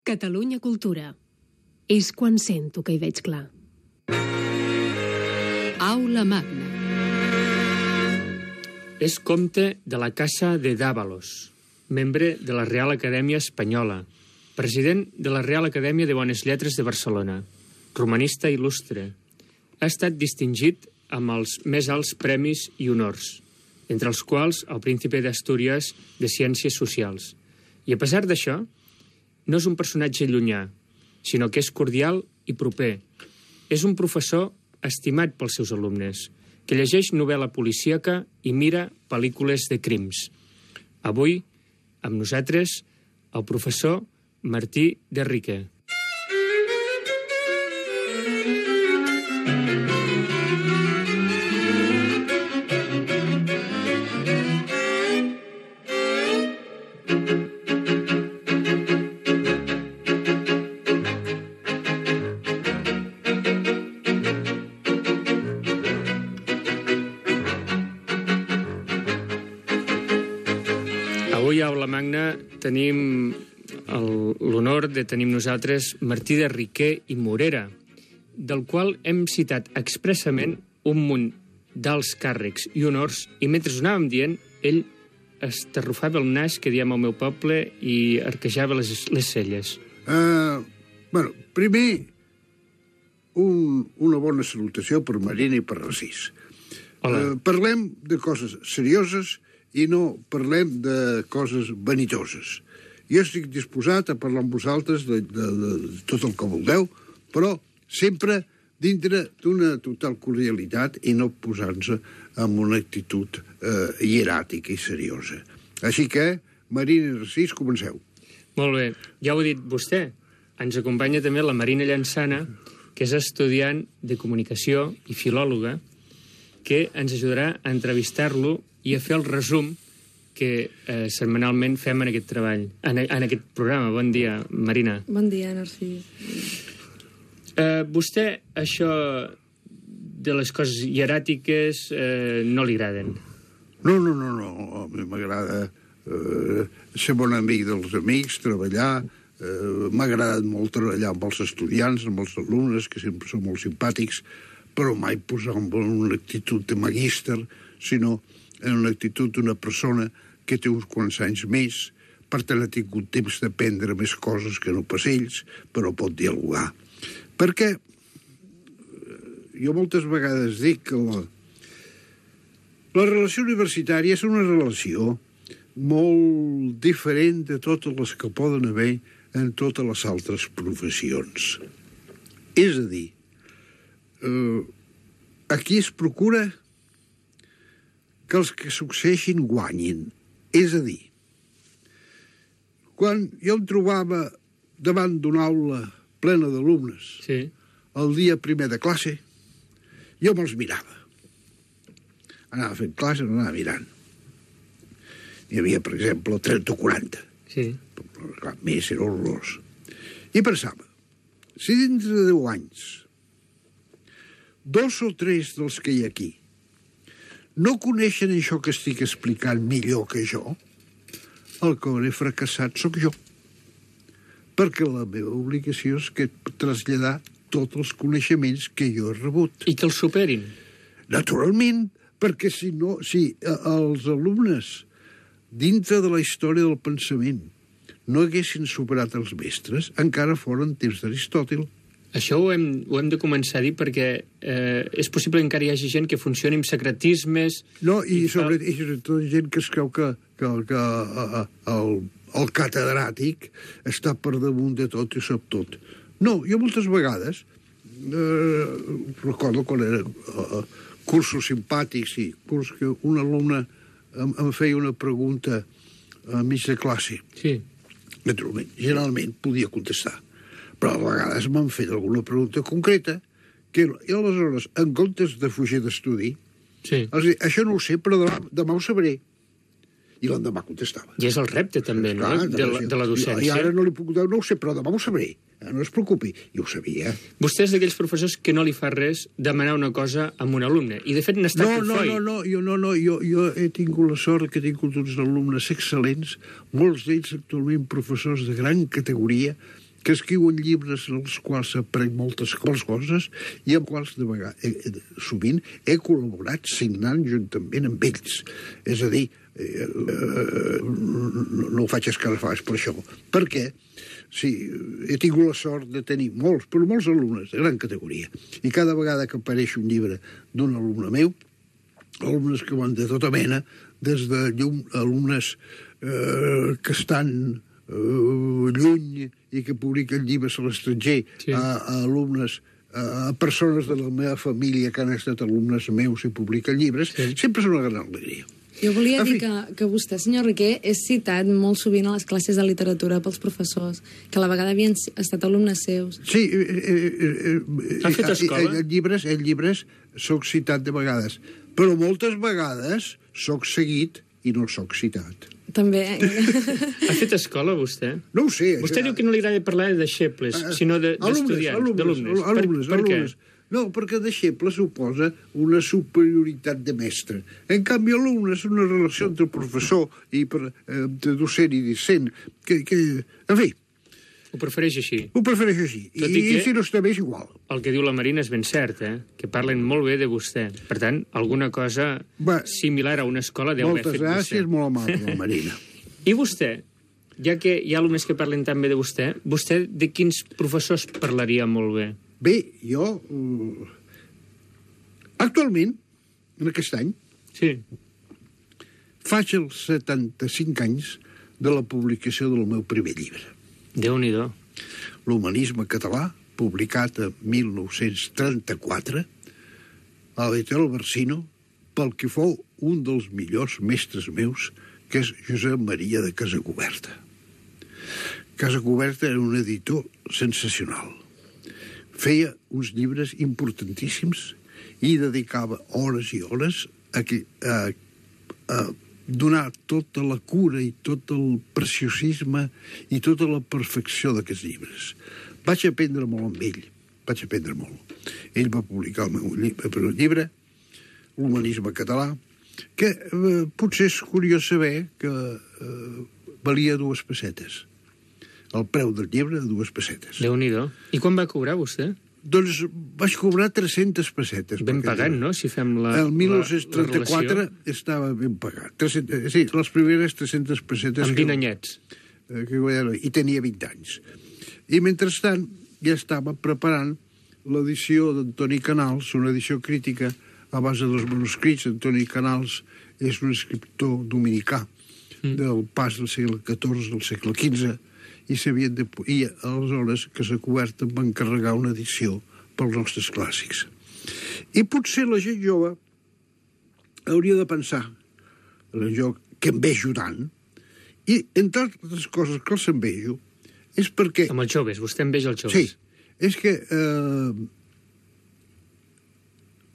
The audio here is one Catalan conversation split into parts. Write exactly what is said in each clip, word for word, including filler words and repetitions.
Catalunya Cultura. És quan sento que hi veig clar. Aula Magna. És comte de la Casa de Dávalos, membre de la Real Acadèmia Espanyola, president de la Real Acadèmia de Bones Lletres de Barcelona, romanista il·lustre. Ha estat distingit amb els més alts premis i honors, entre els quals el Príncipe d'Astúries de Ciències Socials. I a pesar d'això, no és un personatge llunyà, sinó que és cordial i proper. És un professor estimat pels seus alumnes, que llegeix novel·la policíaca i mira pel·lícules de crims. Avui, amb nosaltres, el professor Martí de Riquer. Avui a Aula Magna tenim l'honor de tenir amb nosaltres Martí de Riquer i Morera, del qual hem citat expressament un munt d'alts càrrecs i honors, i mentre ho anàvem dient, ell estarrufava el nas, que diem al meu poble, i arquejava les, les celles. Uh, bueno, primer, un, una bona salutació per Marina i per Narcís. Uh, parlem de coses serioses i no parlem de coses vanitoses. Jo estic disposat a parlar amb vosaltres de, de, de, de tot el que vulgueu, però sempre dintre d'una total cordialitat i no posant-se amb una actitud eh, hieràtica i seriosa. Així que, Marina i Narcís, comenceu. Molt bé. Ja ho ha dit vostè. Ens acompanya també la Marina Llançana, que és estudiant de comunicació i filòloga, que ens ajudarà a entrevistar-lo i a fer el resum que eh, setmanalment fem en aquest treball, en, en aquest programa. Bon dia, Marina. Bon dia, Narcís. Eh, vostè, això de les coses hieràtiques eh, no li agraden? No, no, no, no. A mi m'agrada eh, ser bon amic dels amics, treballar. Eh, m'ha agradat molt treballar amb els estudiants, amb els alumnes, que sempre són molt simpàtics, però mai posar en una actitud de magíster, sinó en una actitud d'una persona que té uns quants anys més, per tant ha tingut temps d'aprendre més coses que no pas ells, però pot dialogar. Perquè jo moltes vegades dic que la, la relació universitària és una relació molt diferent de totes les que poden haver en totes les altres professions. És a dir, eh, aquí es procura que els que succeeixin guanyin. És a dir, quan jo em trobava davant d'una aula plena d'alumnes, sí, el dia primer de classe, jo me'ls mirava. Anava fent classe, no anava mirant. N'hi havia, per exemple, trenta o quaranta. Sí. Clar, més era horrorós. I pensava, si dintre de deu anys, dos o tres dels que hi ha aquí no coneixen això que estic explicant millor que jo, el que hauré fracassat sóc jo. Perquè la meva obligació és que traslladar tots els coneixements que jo he rebut. I que els superin. Naturalment, perquè si no, si els alumnes dintre de la història del pensament no haguessin superat els mestres, encara foren temps d'Aristòtil. Això ho hem, ho hem de començar a dir perquè eh, és possible que encara hi hagi gent que funcioni amb secretismes... No, i, i sobre, i sobretot gent que es creu que, que, que a, a, el, el catedràtic està per damunt de tot i sap tot. No, jo moltes vegades eh, recordo quan era eh, cursos simpàtics i curs que un alumne em, em feia una pregunta a mig de classe. Sí. Naturalment, generalment podia contestar. Però a vegades m'han fet alguna pregunta concreta que, i aleshores, en comptes de fugir d'estudi, sí, els dic, això no ho sé, però demà, demà ho sabré. I l'endemà contestava. I és el repte, també, no?, Clar, de, la, de la docència. I ara no li puc dir, no ho sé, però demà ho sabré. No es preocupi. I ho sabia. Vostè és d'aquells professors que no li fa res demanar una cosa a un alumne. I, de fet, n'ha estat no, un no, foi. No, no, jo, no, no, jo, jo he tingut la sort que he tingut uns alumnes excel·lents, molts d'ells actualment professors de gran categoria, que escriuen llibres en els quals s'aprèn moltes coses i amb quals de vegades, eh, sovint he col·laborat signant juntament amb ells. És a dir, eh, eh, no, no ho faig escarafats per això. Per què? Sí, he tingut la sort de tenir molts, però molts alumnes de gran categoria. I cada vegada que apareix un llibre d'un alumne meu, alumnes que van de tota mena, des de llum, alumnes eh, que estan eh, lluny i que publiquen llibres a l'estranger, sí. a, a alumnes, a persones de la meva família que han estat alumnes meus i publiquen llibres, sí. sempre és una gran alegria. Jo volia dir que, que vostè, senyor Riquer, és citat molt sovint a les classes de literatura pels professors, que a la vegada havien estat alumnes seus. Sí, eh, eh, eh, ha fet escola? En llibres, en llibres soc citat de vegades, però moltes vegades soc seguit i no soc citat. També. Ha fet escola, vostè? No ho sé. Vostè diu que no li agrada parlar de deixebles, sinó d'estudiants, d'alumnes. Alumnes, per, per alumnes. Què? No, perquè deixeble suposa una superioritat de mestre. En canvi, alumne és una relació entre professor i per, eh, de docent i discent, que, que, en fi... Ho prefereix així? Ho prefereix així. I, i si no està bé, és igual. El que diu la Marina és ben cert, eh? Que parlen molt bé de vostè. Per tant, alguna cosa Va, similar a una escola deu haver fet vostè. Moltes gràcies, molt amable, la Marina. I vostè, ja que hi ha alumnes que parlen tan bé de vostè, vostè de quins professors parlaria molt bé? Bé, jo... Uh, actualment, en aquest any, sí. faig els setanta-cinc anys de la publicació del meu primer llibre. Déu-n'hi-do. L'Humanisme català, publicat en mil nou-cents trenta-quatre, a l'editorial Barsino, pel que fou un dels millors mestres meus, que és Josep Maria de Casacuberta. Casacuberta era un editor sensacional. Feia uns llibres importantíssims i dedicava hores i hores a, que, a, a donar tota la cura i tot el preciosisme i tota la perfecció d'aquests llibres. Vaig aprendre molt amb ell, vaig aprendre molt. Ell va publicar el meu llibre, llibre L'Humanisme català, que eh, potser és curiós saber que eh, valia dues pessetes. El preu del llibre, dues pessetes. Déu-n'hi-do. I quan va cobrar, vostè? Doncs vaig cobrar tres-centes pessetes. Ben pagat, no?, si fem la El mil nou-cents trenta-quatre estava ben pagat. tres-centes, sí, les primeres tres-centes pessetes... Amb vint anyets. Que, que, I tenia vint anys. I mentrestant ja estava preparant l'edició d'Antoni Canals, una edició crítica a base dels manuscrits. Antoni Canals és un escriptor dominicà mm. del pas del segle catorze al segle quinze, i s'havien de... I aleshores Casacuberta em va encarregar una edició pels nostres clàssics. I potser la gent jove hauria de pensar el joc que em ve ajudant, i entre altres coses que els envejo és perquè... Amb els joves, vostè enveja els joves. Sí, és que eh,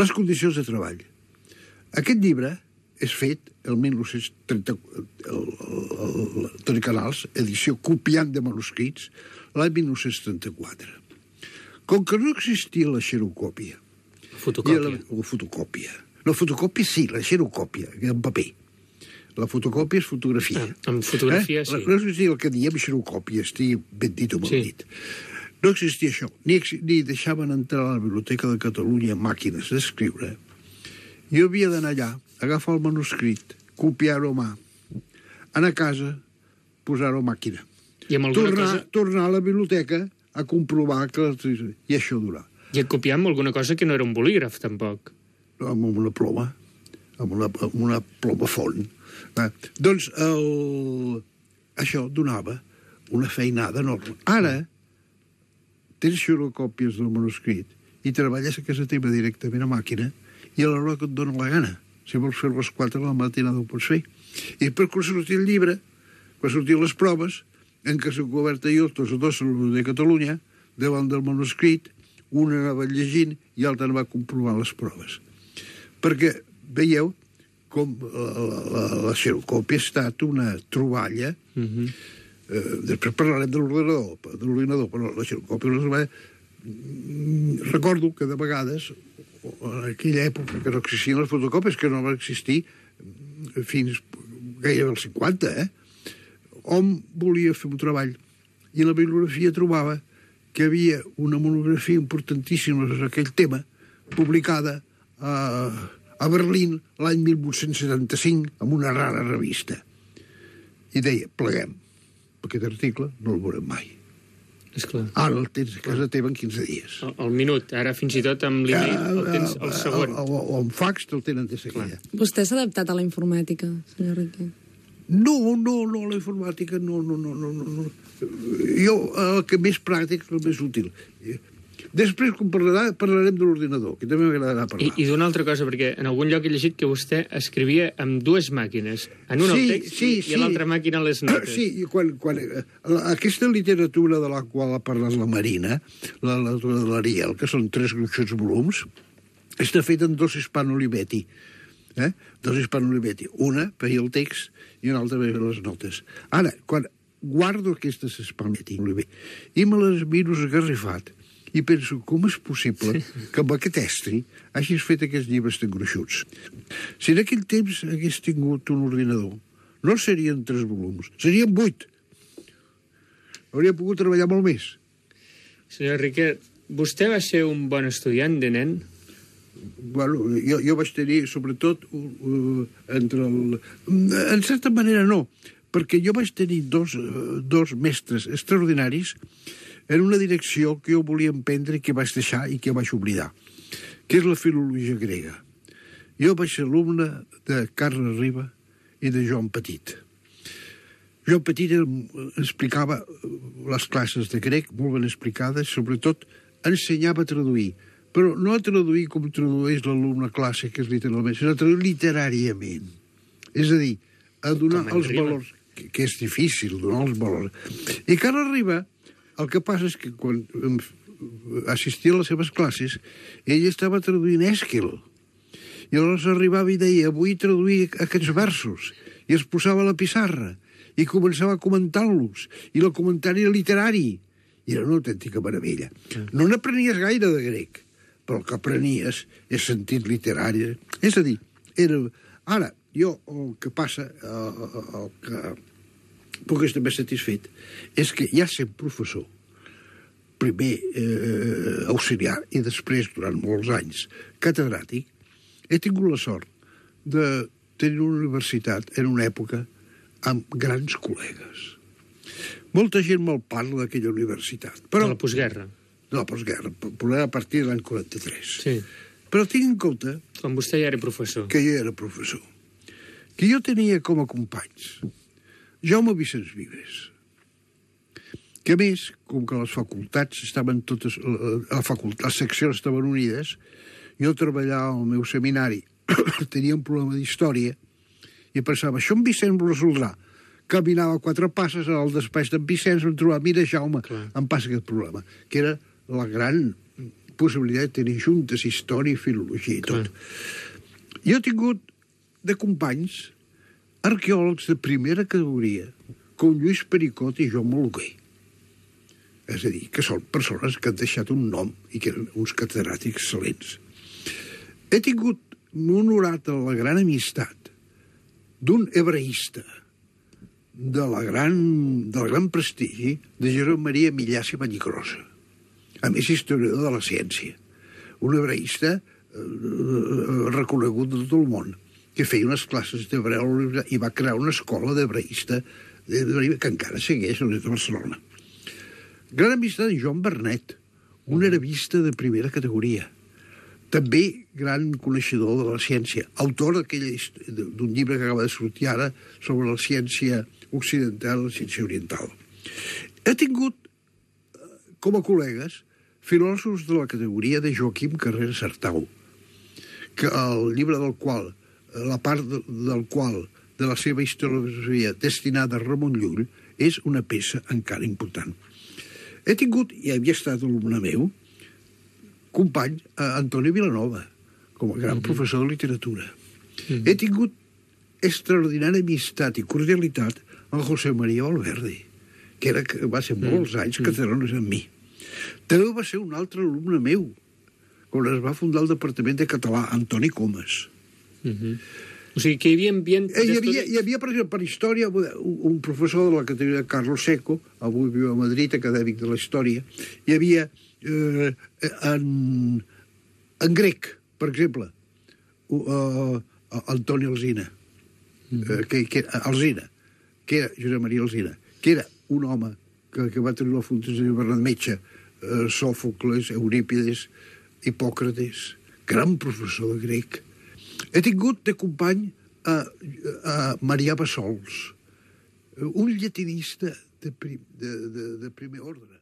les condicions de treball. Aquest llibre és fet el mil nou-cents trenta... Toni Canals, edició copiant de manuscrits, l'any mil nou-cents trenta-quatre. Com que no existia la xerocòpia... Fotocòpia. La, la fotocòpia. No, fotocòpia sí, la xerocòpia, en paper. La fotocòpia és fotografia. Ah, amb fotografia, eh? sí. No existia el que diem xerocòpia, estigui ben dit o mal sí. dit. No existia això. Ni, ni deixaven entrar a la Biblioteca de Catalunya màquines d'escriure. Jo havia d'anar allà, agafar el manuscrit, copiar-ho a mà, anar a casa, posar-ho a màquina. I amb alguna tornar, cosa... tornar a la biblioteca a comprovar que... I això durar. I copiar amb alguna cosa que no era un bolígraf, tampoc. Amb una ploma, amb una, amb una ploma font. Eh, doncs el... això donava una feinada enorme. Ara tens xerocòpies del manuscrit i treballes a casa teva directament a màquina i a l'hora que et dona la gana. Si vols fer les quatre de la matinada ho pots fer. I per quan sortir el llibre, quan sortir les proves, en què s'ha cobert jo, tots dos de Catalunya, davant del manuscrit, una anava llegint i l'altra va comprovar les proves. Perquè veieu com la, la, la xerocòpia ha estat una troballa. Mm-hmm. eh, després parlarem de l'ordinador, de l'ordinador, però la xerocòpia no es va... Recordo que de vegades, en aquella època que no existien les fotocòpies, que no van existir fins gairebé als cinquanta, eh? Hom volia fer un treball i la bibliografia trobava que hi havia una monografia importantíssima sobre aquell tema, publicada a, a Berlín l'any mil vuit-cents setanta-cinc en una rara revista. I deia, pleguem, aquest article no el veurem mai. Esclar. Ara el tens a casa teva en quinze dies. El, el minut, ara fins i tot amb l'email el tens el segon. O, o, o amb fax te'l tenen de seguida. Vostè s'ha adaptat a la informàtica, senyor Riquer? No, no, no, la informàtica, no, no, no, no, no. Jo, el que més pràctic, el més útil. Després, com parlarà, parlarem de l'ordinador, que també m'agradarà parlar. I, i d'una altra cosa, perquè en algun lloc he llegit que vostè escrivia amb dues màquines. En una sí, el text sí, i, sí. i a l'altra màquina les notes. Sí, i quan, quan, la, aquesta literatura de la qual ha parlat la Marina, la literatura de l'Ariel, que són tres gruixots volums, està feta en dos Hispano-Olivetti. Eh? Dos Hispano-Olivetti. Una per el text i una altra per les notes. Ara, quan guardo aquestes Hispano-Olivetti i me les miro esgarrifat, i penso, com és possible que amb aquest estri hagis fet aquests llibres tan gruixuts? Si en aquell temps hagués tingut un ordinador, no serien tres volums, serien vuit. Hauria pogut treballar molt més. Senyor Riquer, vostè va ser un bon estudiant de nen? Bueno, jo, jo vaig tenir, sobretot, uh, entre el... En certa manera no, perquè jo vaig tenir dos, uh, dos mestres extraordinaris en una direcció que jo volia emprendre i que vaig deixar i que vaig oblidar, que és la filologia grega. Jo vaig ser alumne de Carles Riba i de Joan Petit. Joan Petit explicava les classes de grec, molt ben explicades, sobretot ensenyava a traduir, però no a traduir com tradueix l'alumne clàssic, que és literalment, sinó a traduir literàriament. És a dir, a donar els valors, que, que és difícil donar els valors. I Carles Riba, el que passa és que quan assistia a les seves classes, ell estava traduint Èsquil. I llavors arribava i deia, vull traduir aquests versos. I es posava a la pissarra i començava a comentar-los. I el comentari era literari. I era una autèntica meravella. No n'aprenies gaire de grec, però el que aprenies és sentit literari. És a dir, era... Ara, jo el que passa, el, el que puc estar més satisfet, és que ja sent professor, primer eh, auxiliar i després, durant molts anys, catedràtic, he tingut la sort de tenir una universitat en una època amb grans col·legues. Molta gent me'l parla d'aquella universitat. Però, de la postguerra. De la postguerra, a partir de l'any quaranta-tres. Sí. Però tinc en compte... Quan vostè ja era professor. Que jo era professor. Que jo tenia com a companys Jaume Vicenç Vives, que a més, com que les facultats estaven totes, la facultat, les seccions estaven unides, jo treballava al meu seminari, tenia un problema d'història, i pensava, això en Vicenç ho resoldrà. Caminava quatre passes al despatx d'en Vicenç, em trobava, mira, Jaume, Clar. em passa aquest problema, que era la gran possibilitat de tenir juntes història, filologia i tot. Clar. Jo he tingut de companys arqueòlegs de primera categoria, com Lluís Pericot i Joan Moluquer. És a dir, que són persones que han deixat un nom i que eren uns catedràtics excel·lents. He tingut honorat la gran amistat d'un hebreista de la gran, del gran prestigi de Josep Maria Millàs i Vallcrosa, a més historiador de la ciència, un hebreista eh, reconegut de tot el món, que feia unes classes d'hebreu i va crear una escola d'hebreista que encara segueix a l'Universitat de Barcelona. Gran amistat de Joan Bernet, un arabista de primera categoria, també gran coneixedor de la ciència, autor d'un llibre que acaba de sortir ara sobre la ciència occidental i la ciència oriental. He tingut, com a col·legues, filòsofs de la categoria de Joaquim Carreras Artau, que el llibre del qual, la part del qual, de la seva historiografia destinada a Ramon Llull, és una peça encara important. He tingut, i havia estat alumne meu, company a Antoni Vilanova, com a gran mm-hmm. professor de literatura. Mm-hmm. He tingut extraordinària amistat i cordialitat amb José María Valverde, que era, va ser molts anys mm-hmm. catedràtic amb mi. També va ser un altre alumne meu, quan es va fundar el Departament de Català, Antoni Comas. Mm-hmm. O sigui, que hi havia ambient... Eh, hi, havia, hi havia, per exemple, per història, un, un professor de la categoria Carlos Seco, avui viu a Madrid, acadèmic de la història, hi havia eh, en, en grec, per exemple, uh, Antoni Alsina, mm -hmm. eh, que, que, Alsina, que era Josep Maria Alsina, que era un home que, que va tenir la fundació de Bernat Metge, eh, Sòfocles, Eurípides, Hipòcrates, gran professor de grec. He tingut de company a, a Marià Bassols, un llatinista de, prim, de, de, de primer ordre.